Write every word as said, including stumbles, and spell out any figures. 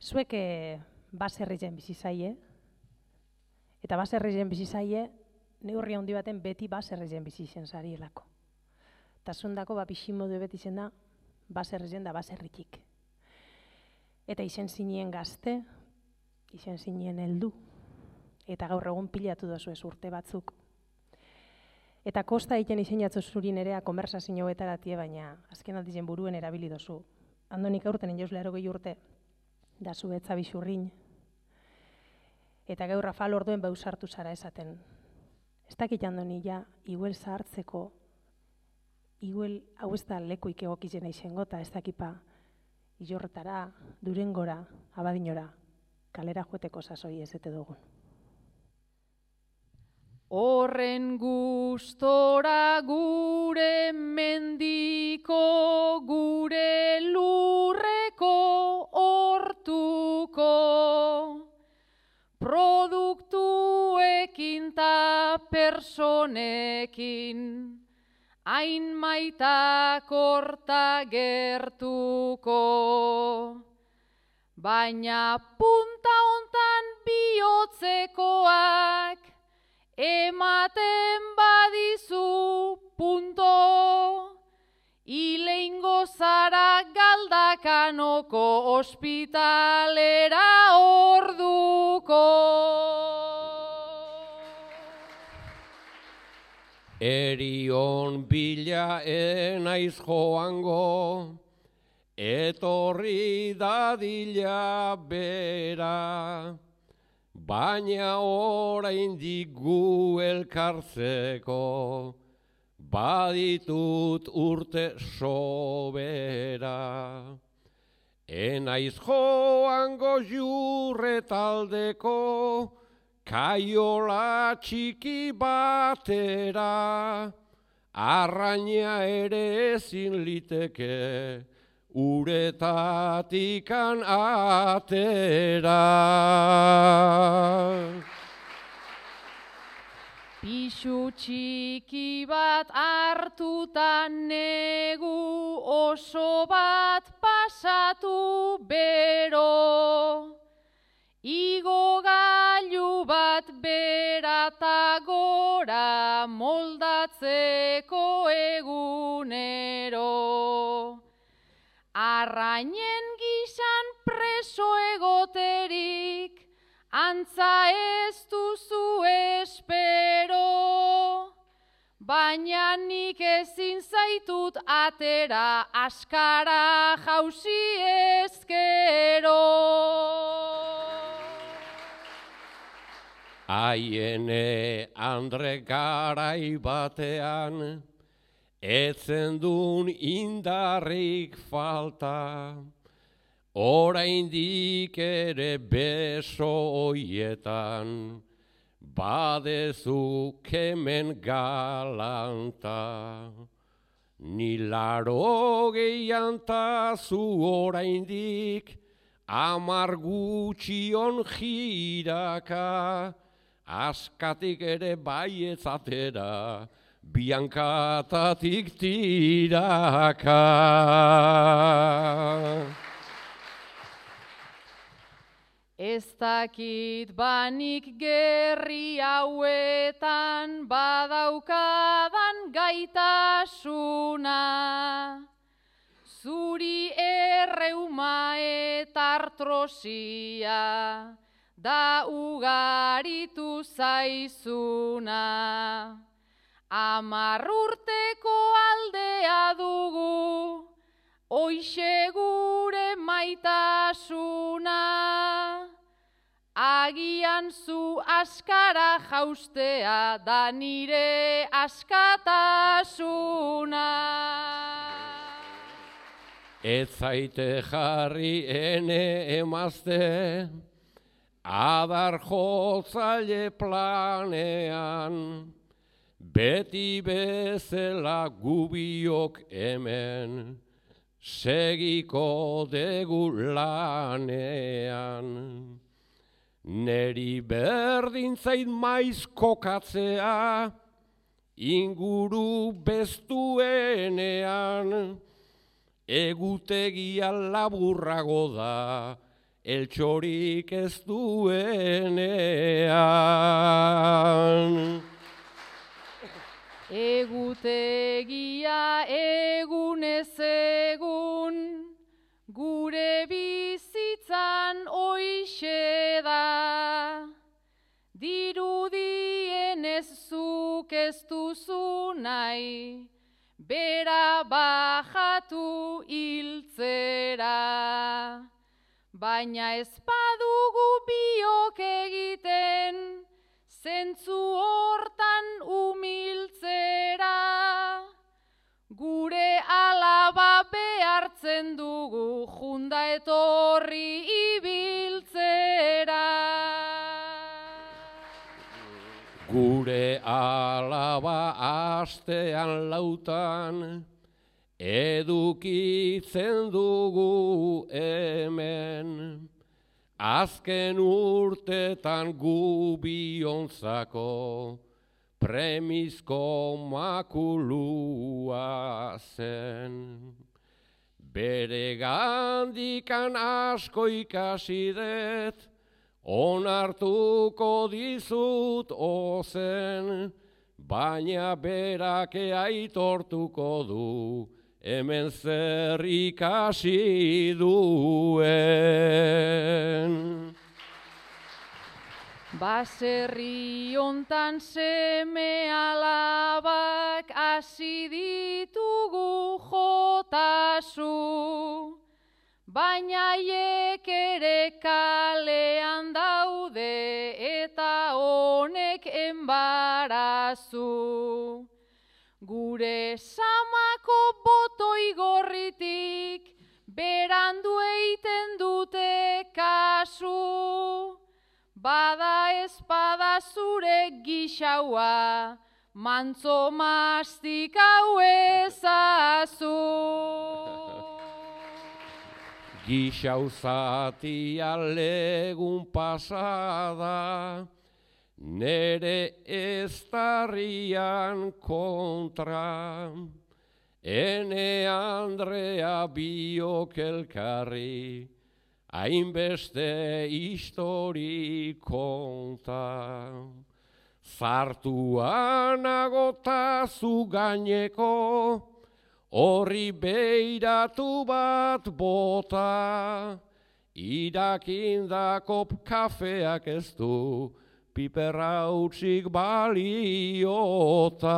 Zuek e, baserrizen bizi zaie, eta baserrizen bizi zaie, neurri handi baten beti baserrizen bizi izen zarielako. Eta zundako ba piximodu beti izen da, baserrizen da baserritik. Eta izen zinien gazte, izen zinien heldu, eta gaur egun pilatu dozu ez urte batzuk. Eta kosta egiten izen jatzu zuri nerea konversazio betaratie, baina azken aldizen buruen erabili dozu. Andonik aurten jauzla erogei urte, da zu etza bisurrin. Eta gaur Rafal orduen beusartu zara esaten. Ez dakit andoni ja, iguel zahartzeko, iguel hau ez da lekuik egokizena izango, eta ez dakipa Ilorretara, Durengora, Abadinora, kalera joeteko sasoi ezete dugun. Horren gustora gure mendiko, gure lurreko hortuko, produktuekin ta personekin, hain maitak horta gertuko. Baina punta hontan bihotzekoak, ematen badizu punto, ileingo zara Galdakanoko ospitalera orduko. Erion bila enaiz joango, etorri dadila bera, baina oraindik gu elkartzeko, baditut urte sobera. Enaiz joango jurretaldeko, kaiola txiki batera, arraina ere ezin liteke, uretatikan atera. Pixu txiki bat hartutan negu oso bat pasatu bero, igo gailu bat berata gora moldatzeko egunero. Arrainen gizan preso egoterik, antza ez duzu espero, baina nik ezin zaitut atera askara jauzi ezkero. Aiene Andre garai batean, etzen dun indarrik falta, oraindik ere beso hoietan, badezuk hemen galanta. Ni laro gehian tazu oraindik, amar gutxion jiraka, askatik ere baiezatera, biankatatik tiraka. Ez dakit banik gerri hauetan badaukadan gaitasuna, zuri erreuma eta artrosia, da ugaritu zaizuna. Amar urteko aldea dugu, hoixe gure maitasuna, agian zu askara jaustea da nire askatasuna. Ez zaite jarri ene emazte, adar jotzaile planean, beti bezala gubiok hemen, segiko degu lanean. Neri berdin zait maiz kokatzea, inguru bestuenean, egutegia laburrago da, eltxorik ez duenean. Egutegia egunez egun, gure bizitzan hoixe da. Dirudienez zuk ez duzu nahi, bera bajatu hiltzera. Baina ez badugu biok egiten, zentzu hortan umiltzera. Gure alaba behartzen dugu junda etorri ibiltzera. Gure alaba astean lautan edukitzen dugu hemen. Azken urtetan gu biontzako premizko makulua zen. Bere gandikan asko ikasi dut, onartuko dizut ozen, baina berake aitortuko du, hemen zer ikasi duen. Baserri hontan seme alabak hasi ditugu jotasu, baina haiek ere kalean daude eta honek enbarazu. Gure samako botoi gorritik berandu eiten dute kasu. Bada espada zure gixaua, mantzo mastikau ezazu. Gixau zatia legun pasada, nere eztarrian kontra. Ene Andrea biok elkarri, hainbeste histori konta. Zartuan agotazu gaineko, horri beiratu bat bota. Irakindako kafeak ez du, piperra utzik baliota.